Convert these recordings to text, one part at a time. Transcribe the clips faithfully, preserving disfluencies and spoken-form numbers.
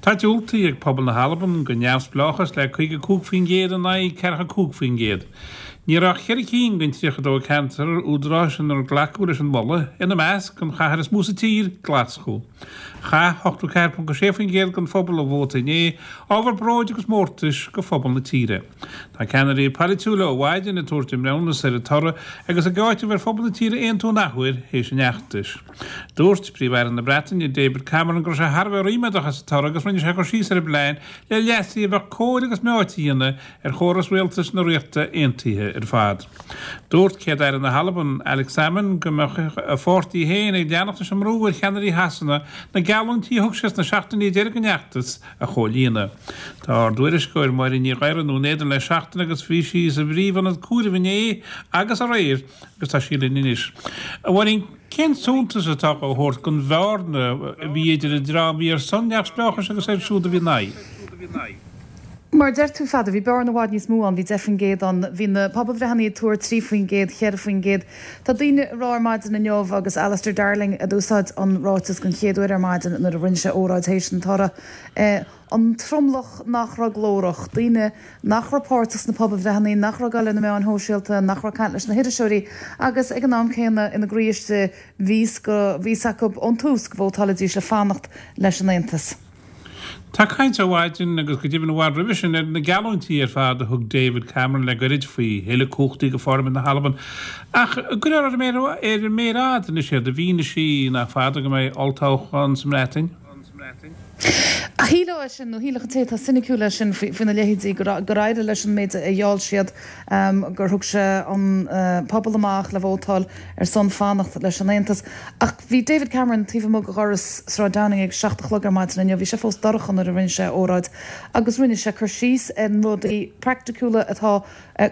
Tá diúltaithe ag pobal na hAlban go neamhspleáchas le caoga cúig faoin gcéad in aghaidh ceathracha cúig faoin gcéad. Ní raibh ach ceithre cinn den tríocha dó ceantar údaráis inar glacadh leis an mholadh, ina measc an chathair is mó sa tír, Glaschú. Chaith ochtó ceathair ponc sé faoin gcéad den phobal a vóta inné, ábhar bróid agus mórtais go phobal na tíre. Tá ceannairí polaitiúla ó mhaidin ag tabhairt a mbreithiúnas ar an toradh agus ag áiteamh ar phobal na tíre aontú an athuair théis an fheachtais. Dúirt Príomh-Aire na Breataine David Cameron go raibh sé thar a bheith ríméadach as an toradh agus rinne sé cur síos ar an bplean le leasuithe a bheadh cóir agus meáite a dhéanamh ar chóras rialtais na Ríochta Aontaithe ar fad. Dúirt Céad-Aire na hAlban Alex Salmond go mbeadh a pháirtí féin ag leanacht leis an mbrú ar cheannairí Shasana na geallúintí a thug siad sna seachtainí deiridh den fheachtas a chomhlíonadh. Tá ár dtuairisceoir Máirín Ní Ghadhra i nDún Éideann le seachtain agus bhí sí sa bpríomhionad comhairimh inné agus aréir agus tá sí linn anois. A Mháirín, cén suntas atá á thabhairt don bhearna a bhí idir an dream a bhí ar son neamhspleáchais agus iad siúd a bhí ina aghaidh? Mar a deir tú, Pheadair, bhí bearna i bhfad níos mó ann, bhí deich faoin gcéad ann, bhí na pobalbhreitheanna ag tuar trí faoin gcéad, cheithre faoin gcéad. Tá daoine ag rá ar maidin inniu, agus Alistair Darling a d'úsáid an ráiteas den chéad uair ar maidin nuair a rinne sé óráid théis an toradh, an tromlach nach raibh glórach, daoine nach raibh páirteach sna pobalbhreitheanna, nach raibh ag dul ar na meáin shóisialta, nach raibh ag caint leis na hiriseoirí agus ag an am céanna ina gcroí istigh bhí fhios acu ón tús go vótálfaidís le fanacht leis an Aontas. Tá caint ó mhaidin agus go deimhin i bhfad roimhe sin ar na geallúintí ar fad a thug David Cameron le goirid faoi thuilleadh cumhachtaí go Pharlaimint na hAlban. Ach an gcuirfear ar an méar fhada anois iad i bhfianaise nach fada go mbeidh olltoghchán sa mBreatain? Shílfeá é sin, nó shílfeadh an té atá soiniciúil é sin faoina leithéidí, gur éirigh leis an méid a gheall siad, gur thug sé an pobal amach le vótáil ar son fanacht leis an Aontas. Ach bhí David Cameron taobh amuigh de dhoras Sráid Downing ag seacht a chlog ar maidin inniu, bhí sé fós dorcha nuair a rinne sé a óráid, agus rinne sé cur síos ar na rudaí praiticiúla atá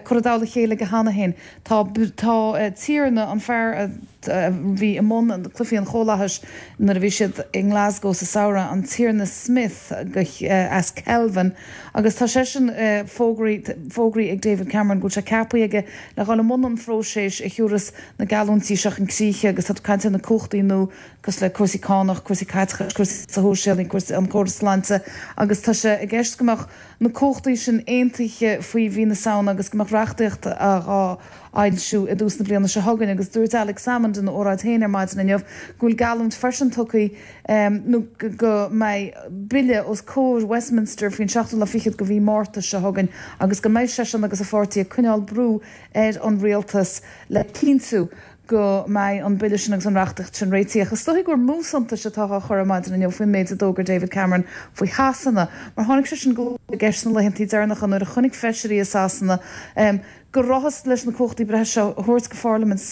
curtha i dtoll a chéile aige cheana féin. Tá tá Tiarna, an fear a bhí i mbun cluichí an Chomhlathais nuair a bhí siad i nGlasgow sa samhradh, an Tiarna Smith as Kelvin, agus tá seisean fógraithe ag David Cameron go bhfuil sé ceaptha aige le dhul i mbun an phróisis a thiúrfas na geallúintí seo chun críche agus tá tú ag caint ar na cumhachtaí nua cosúil le cúrsaí cánach, cúrsaí caiteachais, cúrsaí sóisialaigh, cúrsaí an córas sláinte agus tá sé i gceist go mbeadh na cumhachtaí sin aontaithe faoi mhí na Samhna agus go mbeadh reachtaíocht á fhoilsiú i dtús na bliana seo chugainn agus dúirt Alex Salmond ina óráid féin ar maidin inniu go bhfuil geallúint freisin tugtha nó go mbeidh bille os comhair Westminster faoin seachtú lá fichead de mhí Márta seo chugainn agus go mbeidh seisean agus a pháirtí ag coinneáil brú ar an rialtas le cinntiú go mbeidh an bille sin agus an reachtaíocht sin réitithe. Ach is dóigh gur mó suntais atá á chur ar maidin inniu faoin méid a d'fhógair David Cameron faoi Shasana, mar tháinig sé sin go i gceist sna laethanta deireanacha nuair a chonaic feisirí i Sasana go rabhthas leis na cumhachtaí breise seo a thabhairt go Pharlaimint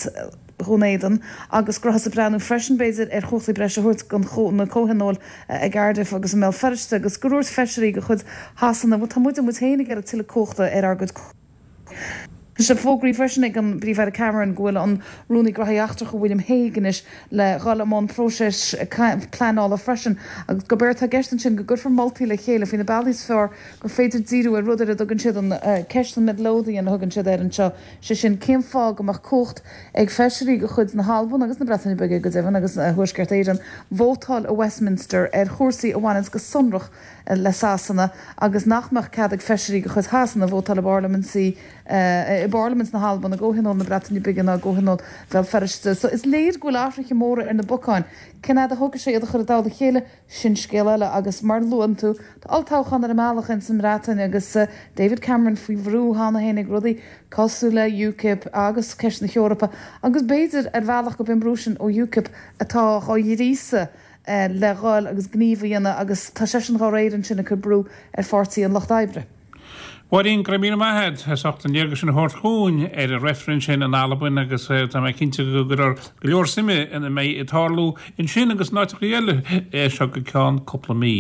Dhún Éideann agus go rabhthas ag breathnú freisin, b'fhéidir, ar chumhachtaí breise a thabhairt go na comhthionóil i gCardiff agus i mBéal Feirste agus gur dhúirt feisirí de chuid Shasana, bhuel, tá muide muid féin ag iarraidh tuilleadh cumhachta ar ár gcuid. Tá sé fógraithe freisin ag an bPríomh-Aire Cameron go bhfuil an Rúnaí Gnóthaí Eachtracha William Hague anois le dhul i mbun próiseas pleanála freisin agus gurb éard atá i gceist ansin go gcuirfear moltaí le chéile faoi na bealaí is fearr gur féidir díriú ar rud ar a dtugann siad an ceist an Midlothian a thugann siad air anseo, sé sin cén fáth go mbeadh cumhacht ag feisirí de chuid na hAlban agus na Breataine Bige go deimhin agus Thuaisceart Éireann vótáil i Westminster ar chúrsaí a bhaineanns go sonrach le Sasana agus nach mbeadh cead ag feisirí de chuid Shasana vótáil i bparlaimintí i bParlaimint na hAlban, i gComhthionól na Breataine Bige ná i gComhthionól Bhéal Feirste. So is léir go bhfuil athruithe móra ar na bacáin. Cén fhad a thógfaidh sé iad a chur i dtoll a chéile, sin scéal eile agus mar a luann tú, tá olltoghchán ar an mbealach ins an mBreatain agus David Cameron faoi bhrú cheana féin ag rudaí cosúil le UKIP agus ceist na hEorpa agus b'fhéidir ar bhealach gurb é an brú sin ó UKIP atá á ghríosadh le dhul agus gníomh a dhéanamh agus tá seisean dá réir ansin ag cur brú ar Pháirtí an Lucht Oibre. Mháirín, go raibh míle maith agat as ucht an léargas sin a thabhairt chugainn ar an reifreann sin in Albain agus tá mé cinnte go gcuirfear go leor suime ina mbeidh ag tarlú ansin agus in áiteacha eile é seo go ceann cúpla mí.